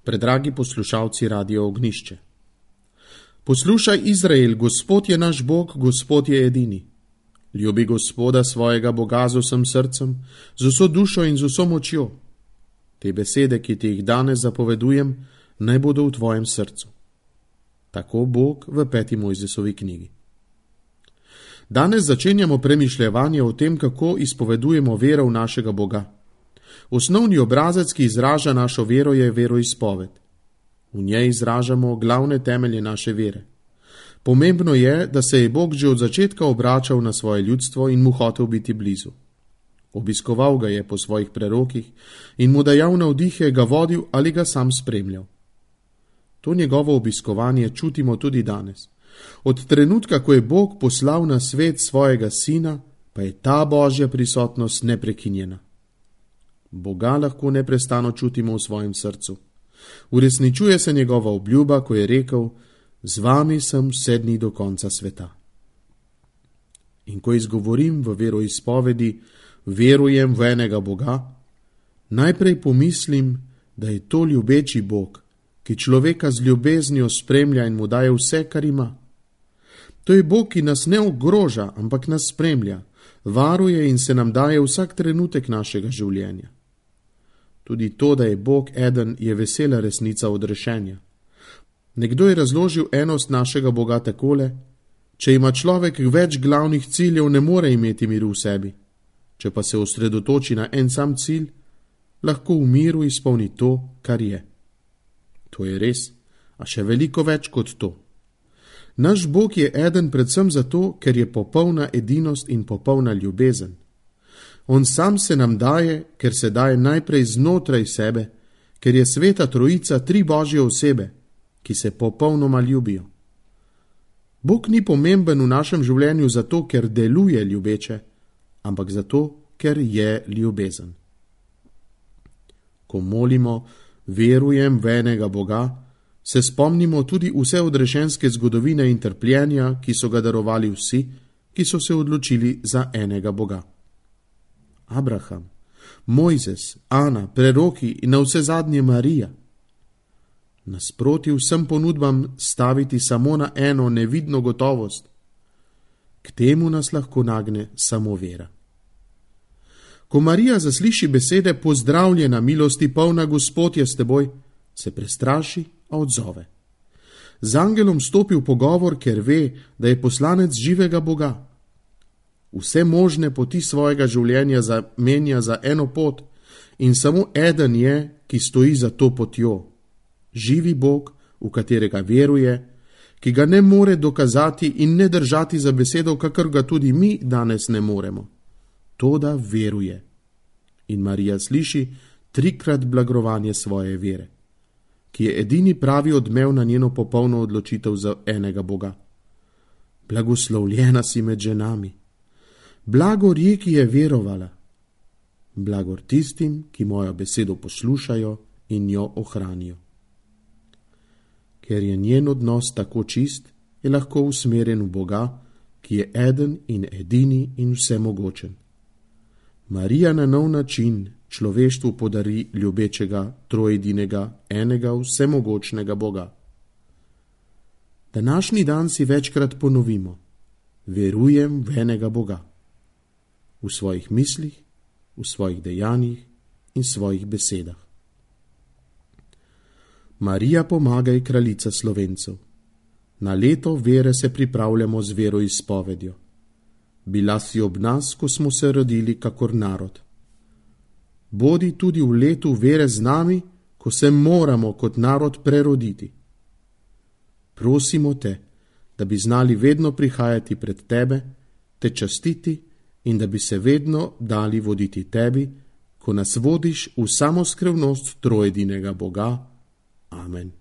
Predragi poslušalci Radia Ognjišče. Poslušaj, Izrael, Gospod je naš Bog, Gospod je edini. Ljubi Gospoda svojega Boga z vsem srcem, z vso dušo in z vso močjo. Te besede, ki ti jih danes zapovedujem, naj bodo v tvojem srcu. Tako Bog v 5. Mojzesovi knjigi. Danes začenjamo premišljevanje o tem, kako izpovedujemo vero v našega Boga. Osnovni obrazec, ki izraža našo vero, je veroizpoved. V njej izražamo glavne temelje naše vere. Pomembno je, da se je Bog že od začetka obračal na svoje ljudstvo in mu hotel biti blizu. Obiskoval ga je po svojih prerokih in mu dajal navdihe, ga vodil ali ga sam spremljal. To njegovo obiskovanje čutimo tudi danes. Od trenutka, ko je Bog poslal na svet svojega sina, pa je ta Božja prisotnost neprekinjena. Boga lahko neprestano čutimo v svojem srcu. Uresničuje se njegova obljuba, ko je rekel: z vami sem vse dni do konca sveta. In ko izgovorim v veroizpovedi, verujem v enega Boga, najprej pomislim, da je to ljubeči Bog, ki človeka z ljubeznijo spremlja in mu daje vse, kar ima. To je Bog, ki nas ne ogroža, ampak nas spremlja, varuje in se nam daje vsak trenutek našega življenja. Tudi to, da je Bog eden, je vesela resnica odrešenja. Nekdo je razložil enost našega Boga takole: če ima človek več glavnih ciljev, ne more imeti miru v sebi. Če pa se osredotoči na en sam cilj, lahko v miru izpolni to, kar je. To je res, a še veliko več kot to. Naš Bog je eden predvsem zato, ker je popolna edinost in popolna ljubezen. On sam se nam daje, ker se daje najprej znotraj sebe, ker je sveta trojica 3 Božje osebe, ki se popolnoma ljubijo. Bog ni pomemben v našem življenju zato, ker deluje ljubeče, ampak zato, ker je ljubezen. Ko molimo, verujem v enega Boga, se spomnimo tudi vse odrešenske zgodovine in trpljenja, ki so ga darovali vsi, ki so se odločili za enega Boga. Abraham, Mojzes, Ana, preroki in navsezadnje Marija. Nasproti vsem ponudbam staviti samo na eno nevidno gotovost. K temu nas lahko nagne samo vera. Ko Marija zasliši besede pozdravljena, milosti polna, Gospod je s teboj, se prestraši, a odzove. Z angelom stopi v pogovor, ker ve, da je poslanec živega Boga. Vse možne poti svojega življenja zamenja za eno pot in samo eden je, ki stoji za to potjo. Živi Bog, v katerega veruje, ki ga ne more dokazati in ne držati za besedo, kakor ga tudi mi danes ne moremo. Toda veruje. In Marija sliši 3-krat blagrovanje svoje vere, ki je edini pravi odmev na njeno popolno odločitev za enega Boga. Blagoslovljena si med ženami. Blagor je, ki je verovala. Blagor tistim, ki mojo besedo poslušajo in jo ohranijo. Ker je njen odnos tako čist, je lahko usmerjen v Boga, ki je eden in edini in vsemogočen. Marija na nov način človeštvu podari ljubečega, trojedinega, enega vsemogočnega Boga. Današnji dan si večkrat ponovimo: verujem v enega Boga. V svojih mislih, v svojih dejanjih in svojih besedah. Marija, pomagaj, kraljica Slovencev. Na leto vere se pripravljamo z veroizpovedjo. Bila si ob nas, ko smo se rodili kakor narod. Bodi tudi v letu vere z nami, ko se moramo kot narod preroditi. Prosimo te, da bi znali vedno prihajati pred tebe, te častiti in da bi se vedno dali voditi tebi, ko nas vodiš v samoskrevnost trojedinega Boga. Amen.